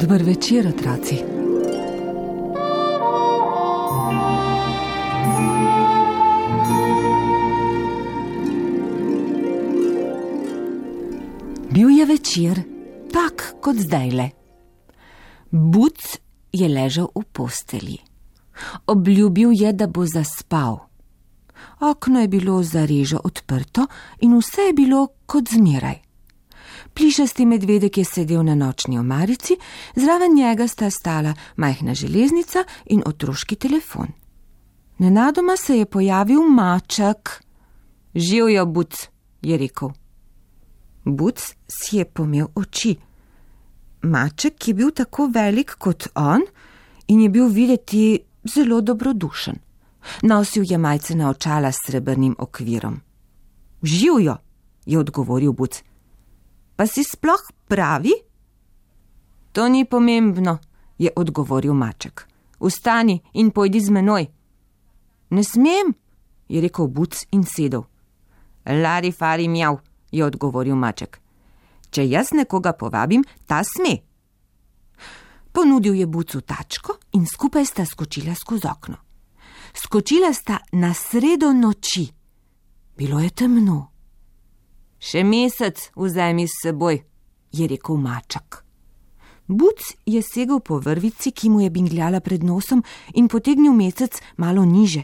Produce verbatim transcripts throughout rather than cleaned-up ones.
Dober večer, otroci. Bil je večer, tak kot zdajle. Buc je ležal v posteli. Obljubil je, da bo zaspal. Okno je bilo zarežo odprto in vse je bilo kot zmeraj. Plišasti medvedek je sedel na nočni omarici, zraven njega sta stala majhna železnica in otroški telefon. Nenadoma se je pojavil maček. Živjo, Buc, je rekel. Buc si je pomel oči. Maček je bil tako velik kot on in je bil videti zelo dobrodušen. Nosil je majcena očala s srebrnim okvirom. Živjo, je odgovoril Buc. Pa si sploh pravi? To ni pomembno, je odgovoril maček. Vstani in pojdi z menoj. Ne smem, je rekel Buc in sedel. Lari fari mjav, je odgovoril maček. Če jaz nekoga povabim, ta sme. Ponudil je Bucu tačko in skupaj sta skočila skozi okno. Skočila sta na sredo noči. Bilo je temno. Še mesec vzemi s seboj, je rekel maček. Buc je segel po vrvici, ki mu je bingljala pred nosom in potegnil mesec malo niže.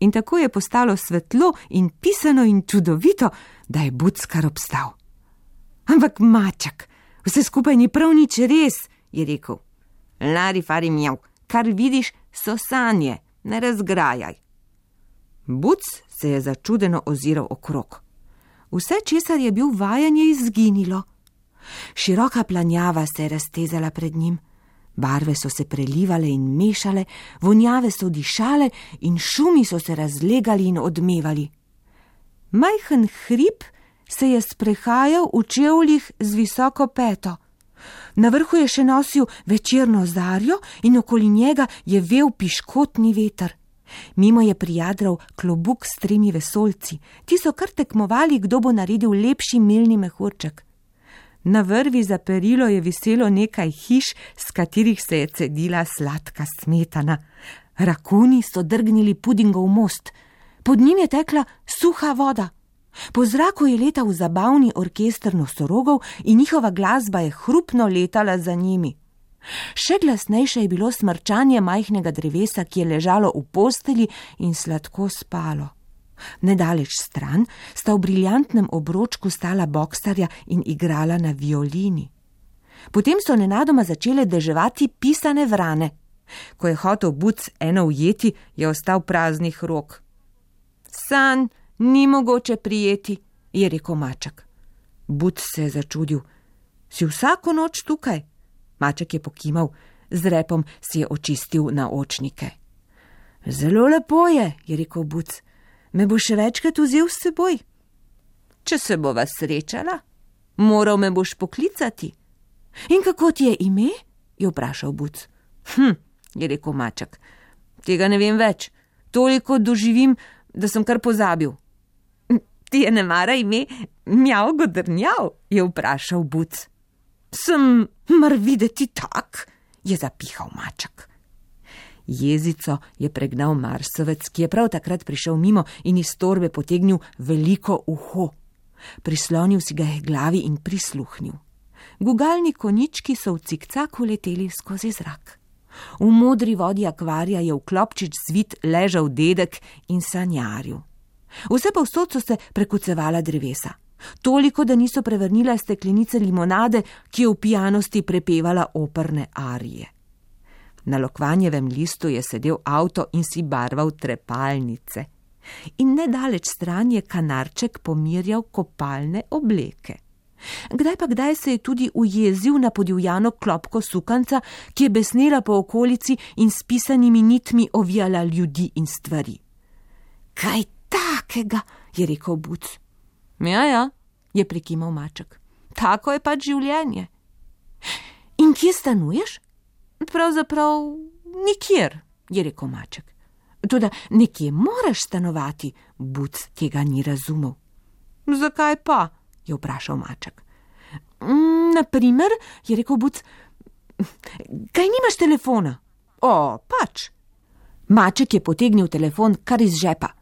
In tako je postalo svetlo in pisano in čudovito, da je Buc kar obstal. Ampak maček, vse skupaj ni prav nič res, je rekel. Lari fari mjav, kar vidiš, so sanje, ne razgrajaj. Buc se je začudeno oziral okrog. Vse, česar je bil vajen, je izginilo. Široka planjava se je raztezala pred njim. Barve so se prelivale in mešale, vonjave so dišale in šumi so se razlegali in odmevali. Majhen hrib se je sprehajal v čevljih z visoko peto. Na vrhu je še nosil večerno zarjo in okoli njega je vel piškotni veter. Mimo je prijadral klobuk s tremi vesoljci. Ti so kar tekmovali, kdo bo naredil lepši milni mehurček. Na vrvi za perilo je viselo nekaj hiš, s katerih se je cedila sladka smetana. Rakuni so drgnili pudingov most. Pod njim je tekla suha voda. Po zraku je letal zabavni orkester nosorogov in njihova glasba je hrupno letala za njimi. Še glasnejše je bilo smrčanje majhnega drevesa, ki je ležalo v posteli in sladko spalo. Nedaleč stran sta v briljantnem obročku stala boksarja in igrala na violini. Potem so nenadoma začele deževati pisane vrane. Ko je hotel Buc eno ujeti, je ostal praznih rok. Sanj ni mogoče prijeti, je rekel maček. Buc se je začudil. Si vsako noč tukaj? Maček je pokimal, z repom si je očistil naočnike. Zelo lepo je, je rekel Buc. Me bo še večkrat vzel s seboj. Če se bova srečala, moral me boš poklicati. In kako ti je ime? Je vprašal Buc. Hm, je rekel maček. Tega ne vem več. Toliko doživim, da sem kar pozabil. Ti je ne mara ime Mjav Godrnjav, je vprašal Buc. Sem mar videti tak, je zapihal maček. Jezico je pregnal marsovec, ki je prav takrat prišel mimo in iz torbe potegnil veliko uho. Prislonil si ga je glavi in prisluhnil. Gugalni konjički so v cikcaku leteli skozi zrak. V modri vodi akvarija je v klopčič zvit ležal dedek in sanjaril. Vse povsod so se prekucevala drevesa. Toliko, da niso prevrnila steklenice limonade, ki je v pijanosti prepevala operne arije. Na lokvanjevem listu je sedel avto in si barval trepalnice. In nedaleč stran je kanarček pomirjal kopalne obleke. Kdaj pa kdaj se je tudi ujezil na podivjano klopko sukanca, ki je besnela po okolici in s pisanimi nitmi ovijala ljudi in stvari. Kaj takega, je rekel Buc. Ja, ja, je prikimal maček. Tako je pač življenje. In kje stanuješ? Pravzaprav nikjer, je rekel maček. Toda nekje moraš stanovati, Buc tega ni razumel. Zakaj pa? Je vprašal maček. Naprimer, je rekel Buc, kaj nimaš telefona? O, pač. Maček je potegnil telefon kar iz žepa.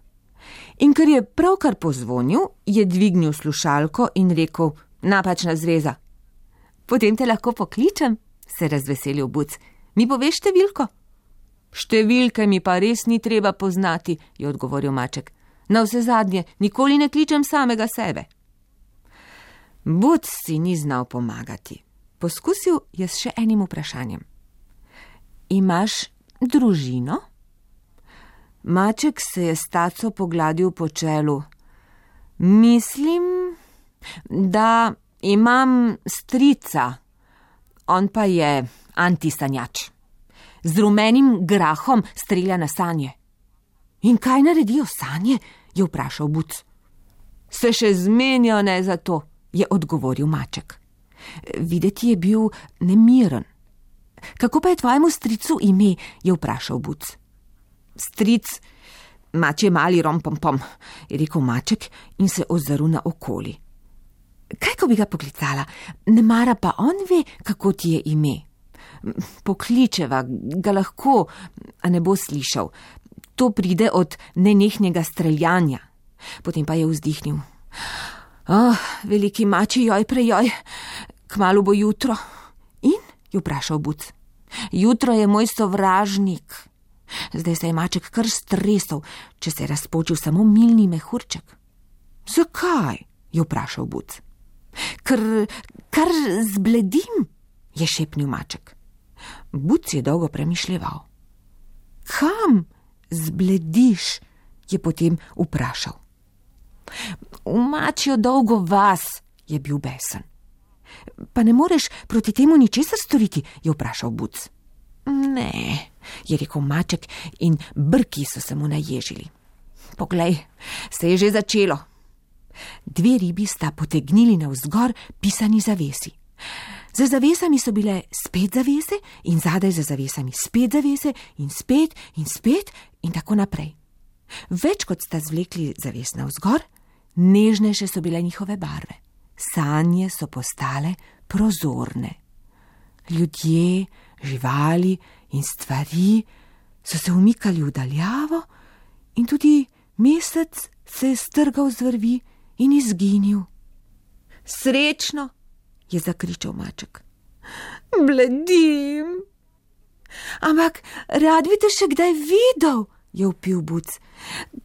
In ker je pravkar pozvonil, je dvignil slušalko in rekel, napačna zveza. Potem te lahko pokličem, se razveselil Buc. Mi poveš številko? Številke mi pa res ni treba poznati, je odgovoril maček. Na vse zadnje, nikoli ne kličem samega sebe. Buc si ni znal pomagati. Poskusil je s še enim vprašanjem. Imaš družino? Maček se je s taco pogladil po čelu. Mislim, da imam strica, on pa je antisanjač. Z rumenim grahom strelja na sanje. In kaj naredijo sanje? Je vprašal Buc. Se še zmenijo ne za to, je odgovoril maček. Videti je bil nemiren. Kako pa je tvojemu stricu ime? Je vprašal Buc. Stric, mač je mali rompompom, je rekel maček in se ozrl na okoli. Kaj, ko bi ga poklicala? Ne mara pa on ve, kako ti je ime. Pokličeva, ga lahko, a ne bo slišal. To pride od nenehnega streljanja. Potem pa je vzdihnil. Oh, veliki mači, joj prejoj, kmalu bo jutro. In? Je vprašal Buc. Jutro je moj sovražnik. Zdaj se je maček kar stresal, če se je razpočil samo milni mehurček. Zakaj? Je vprašal Buc. Ker, kar zbledim, je šepnil maček. Buc je dolgo premišljeval. Kam zblediš? Je potem vprašal. V mačjo dolgo vas, je bil besen. Pa ne moreš proti temu ničesar storiti, je vprašal Buc. Ne, je rekel maček in brki so se mu naježili. Poglej, se je že začelo. Dve ribi sta potegnili navzgor pisani zavesi. Za zavesami so bile spet zavese in zadaj za zavesami spet zavese in spet in spet in tako naprej. Več kot sta zvlekli zaves navzgor, nežnejše so bile njihove barve. Sanje so postale prozorne. Ljudje, živali in stvari so se umikali v daljavo in tudi mesec se je strgal z vrvi in izginil. Srečno, je zakričal maček. Bledim. Ampak rad bi te še kdaj videl, je vpil Buc.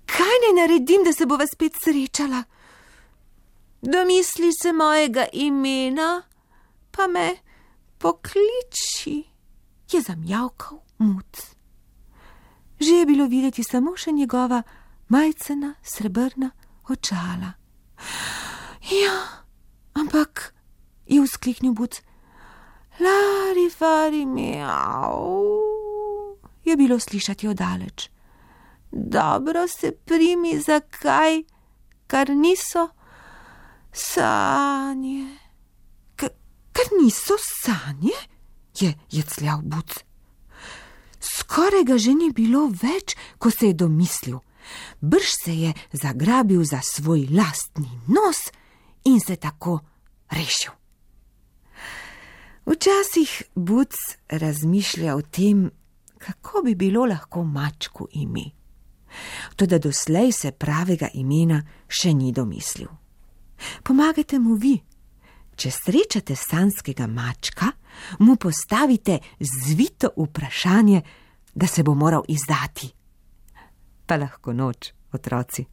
Kaj naj naredim, da se bova spet srečala? Domisli se mojega imena, pa me pokliči, je zamjavkal Muc. Že je bilo videti samo še njegova majcena srebrna očala. Ja, ampak, je vzkliknil Buc. Lari fari miau, je bilo slišati oddaleč. Dobro se primi za kaj, kar niso sanje. K- kar niso sanje? Je jecljal Buc. Skoraj ga že ni bilo več, ko se je domislil. Brž se je zagrabil za svoj lastni nos in se tako rešil. Včasih Buc razmišlja o tem, kako bi bilo lahko mačku ime. Toda doslej se pravega imena še ni domislil. Pomagajte mu vi. Če srečate sanjskega mačka, mu postavite zvito vprašanje, da se bo moral izdati. Pa lahko noč, otroci.